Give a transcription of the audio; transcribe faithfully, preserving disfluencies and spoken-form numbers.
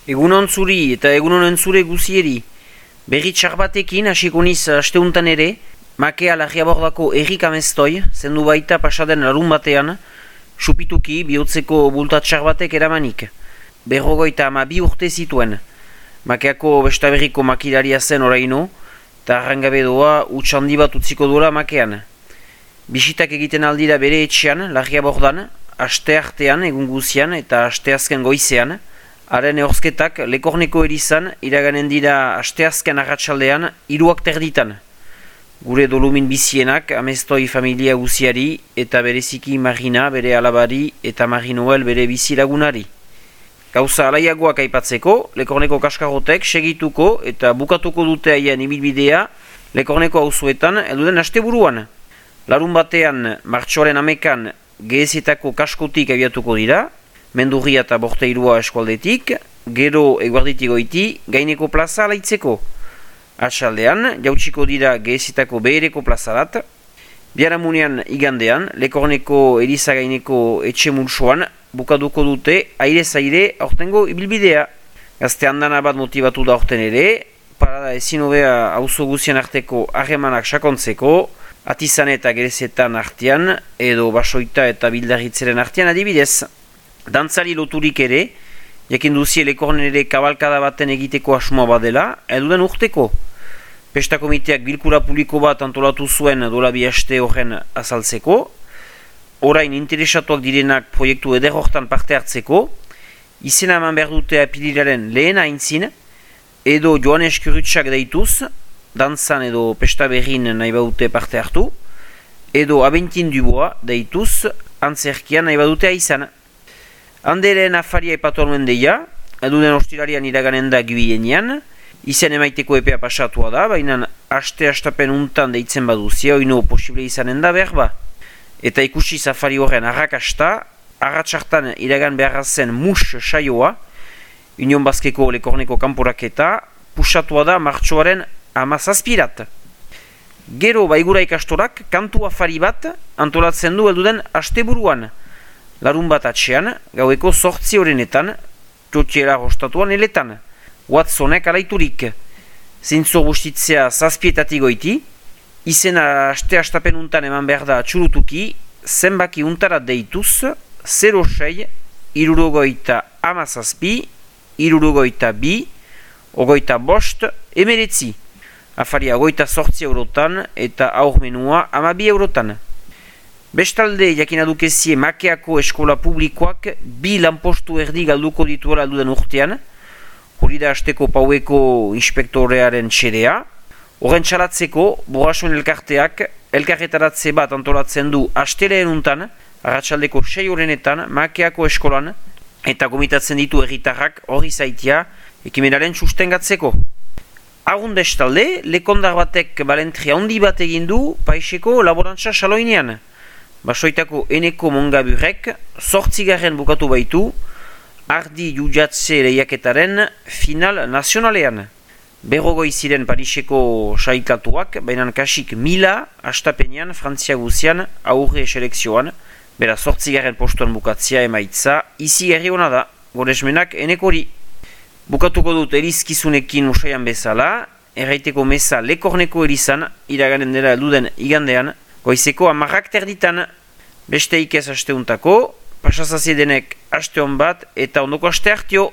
Egunon zuri eta egunon entzure guzieri. Berri txar batekin hasiko niz asteuntan ere, makea Larriabordako errik amestoi, zendu baita pasaden larun batean, supituki bihotzeko bulta txar batek eramanik. Berrogoita ama bi urte zituen. Makeako bestaberriko makilaria zen oraino, eta arrangabe doa utxandi bat utziko duela makean. Bisitak egiten aldira bere etxean, Larriabordan, aste artean egun guzian eta asteazken goizean, haren ehorzketak Lekorneko erizan iraganen dira asteazken arratsaldean hiruak terditan. Gure dolumin bizienak amestoi familia guziari eta bereziki Marina bere alabari eta Marinoel bere bizilagunari. Gauza alaiagoak aipatzeko, Lekorneko kaskarrotek segituko eta bukatuko dute haien ibilbidea Lekorneko auzoetan elduden asteburuan. Larun batean martxoaren amekan gehezetako kaskotik abiatuko dira, Mendurria eta Borteirua eskualdetik, gero eguarditik goiti, gaineko plaza alaitzeko. Atxaldean, jautsiko dira gehezetako behereko plazarat. Biharamunean igandean, Lekorneko eriza gaineko etxe multsoan, bukaduko dute aire-zaire aurtengo ibilbidea. Gazte handana bat motibatu da aurten ere, parada ezin hobea auzo guzien arteko harremanak sakontzeko, Atizan eta Gerezetan artean, edo Basoita eta Bildarritzeren artean adibidez. Dantzari loturik ere, jakin duzie Lekornen ere kabalkada baten egiteko asmoa badela, eduden urteko. Pesta komiteak bilkura publiko bat antolatu zuen dola bi aste horren azaltzeko, orain interesatuak direnak proiektu eder hortan parte hartzeko, izena eman behar dute apililaren lehen aintzin, edo Joanes Kurutsak deituz, dantzan edo pesta berrin nahi badute parte hartu, edo Abentin Dubois deituz, antzerkian nahi badute aizan. Handeren afaria ipatu anuen deia, eduden ostirarian iraganen da gibienian, izen emaiteko epea pasatua da, baina aste astapen untan deitzen baduzia, oino posible izanen da behar ba. Eta ikusi safari horren arrakasta, arratsartan iragan beharra zen mus saioa, Union Baskeko Lekorneko kanporaketa, pusatua da martxoaren amazazpirat. Gero baigura ikastorak kantu afari bat antolatzen du elduden asteburuan. Larun bat atxean, gaueko sortzi horrenetan, txotxera hostatuan eletan. Watsonek alaiturik. Zintzo bustitzea zazpietatik goiti, izena aste astapen untan eman behar da atxurutuki, zenbaki untara deituz, zero sei, irurogoita amazazpi, irurogoita bi, ogoita bost, emeretzi. Afaria goita sortzi eurotan eta aurmenua amabi eurotan. Bestalde jakina dukezie Makeako eskola publikoak bi lanpostu erdi galduko dituela alduden urtean, hori da asteko paueko inspektorearen txerea. Horren txalatzeko, Borrasoen elkarteak elkarretaratze bat antolatzen du asteleen untan, arratsaldeko sei horrenetan Makeako eskolan, eta gomitatzen ditu herritarrak hori zaitia ekimenaren sustengatzeko. Agun bestalde, lekondar batek balentria handi bat egin du Paiseko laborantza saloinean. Basoitako eneko mongaburek zortzigarren bukatu baitu ardi jujatze lehiaketaren final nazionalean. Berrogoi ziren Pariseko saikatuak, baina kasik mila astapenean Frantzia guzian aurre selekzioan, bera zortzigarren postuan bukatzea emaitza izi herri hona da, goresmenak enekori. Bukatuko dut erizkizunekin usaian bezala, erraiteko meza Lekorneko erizan, iraganen dela elduden igandean, goizeko amarrak terditan. Beste ikez asteuntako, pasazazie denek aste hon bat eta ondoko aste hartio.